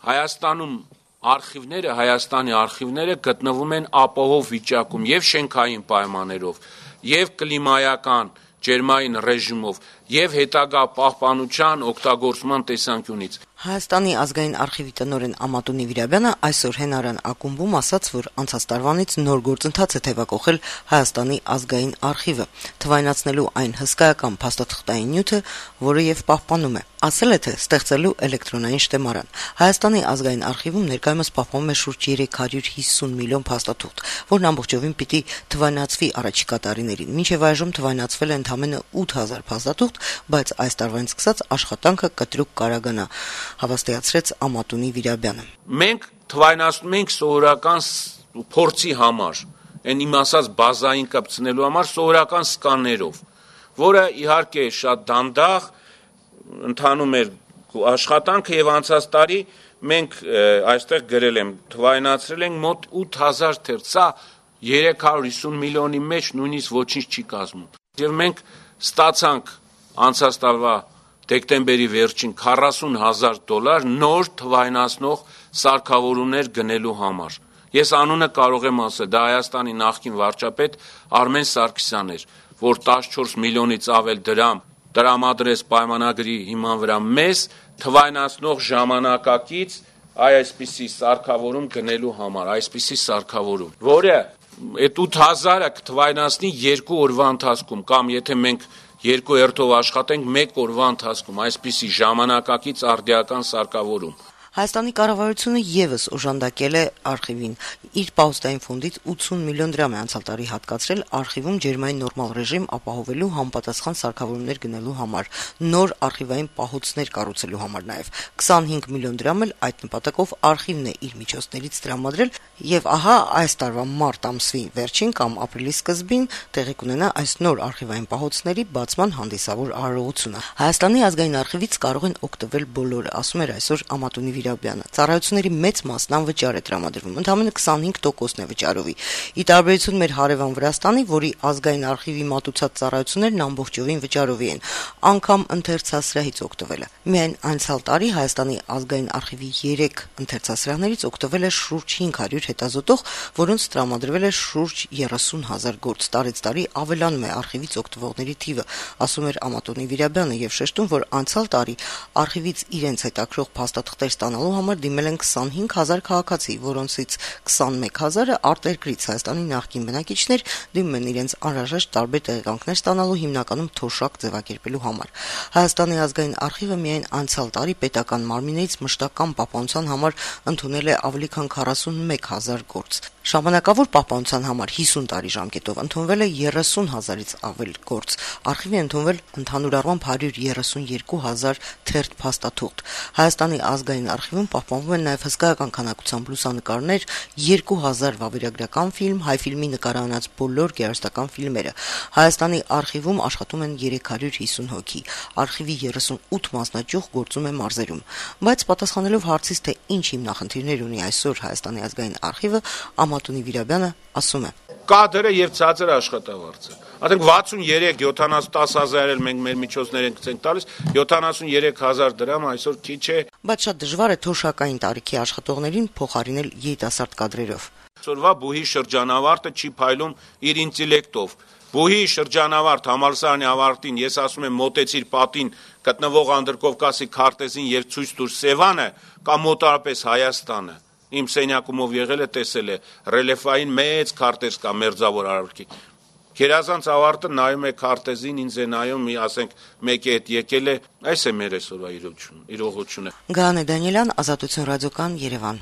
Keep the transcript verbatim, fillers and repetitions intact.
Հայաստանում արխիվները, Հայաստանի արխիվները գտնվում են ապահով վիճակում եւ շենքային պայմաններով, եւ կլիմայական ջերմային ռեժիմով, եւ հետագա պահպանության օգտագործման տեսանկյունից։ Հայաստանի ազգային արխիվի տնօրեն Ամատունի Վիրաբյանը այսօր Հենարան ակումբում ասաց, որ անցած տարվանից նոր գործընթաց է թևակողել Հայաստանի ազգային արխիվը, թվայնացնելու այն հսկայական փաստաթղթային նյութը, որը եւ պահպանում է։ Ասել է, թե ստեղծելու էլեկտրոնային շտեմարան։ Հայաստանի ազգային արխիվում ներկայումս պահպանում է շուրջ երեք հարյուր հիսուն միլիոն փաստաթուղթ, որն ամբողջովին պիտի թվայնացվի առաջիկա տարիներին։ Մինչև այժմ թվայնացվել է ընդամենը ութ հազար փաստաթուղթ, բայց այս տարվանից սկսած աշխատանքը կտրուկ կարագանա, հավաստիացրեց Ամատունի Վիրաբյանը։ Մենք թվայնացնում ենք սովորական փորձի համար, այն իմ ասած բազային կպցնելու համար սովորական սկաներով, որը իհարկե շատ դանդաղ ընթանում էր աշխատանքը եւ անցած տարի մենք այստեղ գրել եմ թվայնացրել ենք մոտ ութ հազար թերթ, սա երեք հարյուր հիսուն միլիոնի մեջ նույնիսկ ոչինչ չի կազմում։ Եվ մենք ստացանք անցած տարվա դեկտեմբերի վերջին քառասուն հազար դոլար նոր թվայնացնող սարքավորումներ գնելու համար։ Ես անունը կարող եմ ասել, դա Հայաստանի նախկին վարչապետ Արմեն Սարգսյանն էր, որ տասնչորս միլիոնից ավել դրամ տրամադրեց պայմանագրի հիման վրա մեզ թվայնացնող ժամանակակից այսպիսի սարքավորում գնելու համար, այսպիսի սարքավորում, որը այդ ութ հազարը կթվայնացնի երկու օրվա ընթացքում, կամ եթե մենք երկու հերթով աշխատենք մեկ օրվա ընթացքում, այսպիսի ժամանակակից արդիական սարքավորում։ Հայաստանի կառավարությունը եւս օժանդակել է արխիվին։ Իր պահոստային ֆոնդից ութսուն միլիոն դրամ է անցյալ տարի հատկացրել արխիվում ջերմային նորմալ ռեժիմ ապահովելու համապատասխան սարքավորումներ գնելու համար, նոր արխիվային պահոցներ կառուցելու համար նաեւ։ քսանհինգ միլիոն դրամ էլ այդ նպատակով արխիվն է իր միջոցներից տրամադրել, եւ ահա այս տարվա մարտ ամսվի վերջին կամ ապրիլի սկզբին տեղի կունենա այս նոր արխիվային պահոցների բացման հանդիսավոր արարողությունը։ Հայաստանի ազգային արխիվից կարող են օգտվել բոլորը, ասում էր այսօր Ամատունի Վիրաբյանը։ Ծառայությունների մեծ մասն անվճար է տրամադրվում, ընդամենը քսանհինգ տոկոսն է վճարովի։ Ի տարբերություն մեր հարևան Վրաստանի, որի ազգային արխիվի մատուցած ծառայություններն ամբողջովին վճարովի են, անգամ ընթերցասրահից օգտվել է։ Միայն անցյալ տարի Հայաստանի ազգային արխիվի երեք ընթերցասրահներից օգտվել է շուրջ հինգ հարյուր հետազոտող, որոնց տրամադրվել է շուրջ երեսուն հազար գործ։ Տարեց տարի ավելանում է արխիվից օգտվողների թիվը, ասում էր Ամատունի Վիրաբյանը եւ շեշտում, որ անցյալ տարի արխիվից իրենց հետաքրող փաստաթղթեր ստանալու համար դիմել են քսանհինգ հազար քաղաքացի, որոնցից քսանմեկ հազարը արտերկրից Հայաստանի նախկին բնակիչներ դիմում են իրենց անհրաժեշտ տարբեր տեղեկանքներ ստանալու հիմնականում թոշակ ձևակերպելու համար։ Հայաստանի ազգային արխիվը միայն անցյալ տարի պետական մարմիններից մշտական պահպանության համար ընդունել է ավելի քան քառասունմեկ հազար գործ։ Ժամանակավոր պահպանության համար հիսուն տարի ժամկետով ընդունվել է երեսուն հազարից ավել գործ։ Արխիվի ընդունվել ընդհանուր առմամբ հարյուր երեսուն երկու հազար թերթ փաստաթուղթ։ Հայաստանի ազգային արխիվում պահպանվում են նաև հսկայական քանակությամբ լուսանկարներ, երկու հազար վավերագրական ֆիլմ, հայ ֆիլմի նկարահանած բոլոր գեղարվեստական ֆիլմերը։ Հայաստանի արխիվում աշխատում են երեք հարյուր հիսուն հոգի։ Արխիվի երեսունութ մասնաճյուղ գործում է մարզերում։ Բայց պատասխանելով հարցից, թե ինչ հիմնախնդիրներ ունի այսօր Հայաստանի ազգային արխիվը, Ամատունի Վիրաբյանը ասում է. Կադրը եւ ցածր աշխատավարձը։ Ասենք վաթսունյերեք յոթանասուն տասը հազար էլ մենք մեր միջոցներ ենք ցենք տալիս, յոթանասունյերեք հազար դրամ այսօր քիչ է։ Բայց շատ դժվար է թոշակային տարիքի աշխատողներին փոխարինել երիտասարդ կադրերով։ Այսօրվա բուհի շրջանավարտը չի փայլում իր ինտելեկտով։ Բուհի շրջանավարտ համալսարանի ավարտին, ես ասում եմ, մոտեցիր պատին գտնվող Անդրկովկասի քարտեզին եւ ցույց տուր Սևանը կամ մոտարապես Հայաստանը։ Իմ սենյակումով եղել է, տեսել է ռելիեֆային մեծ քարտեզ կա մերձավոր արարքի։ Գերազանց ավարտը նայում է քարտեզին, ինձ է նայում, մի ասենք մեկի հետ եկել է, այս է մեր այսօրվա իրողությունը։ Գաներ Դանիելյան, Ազատություն ռադիոկան, Երևան։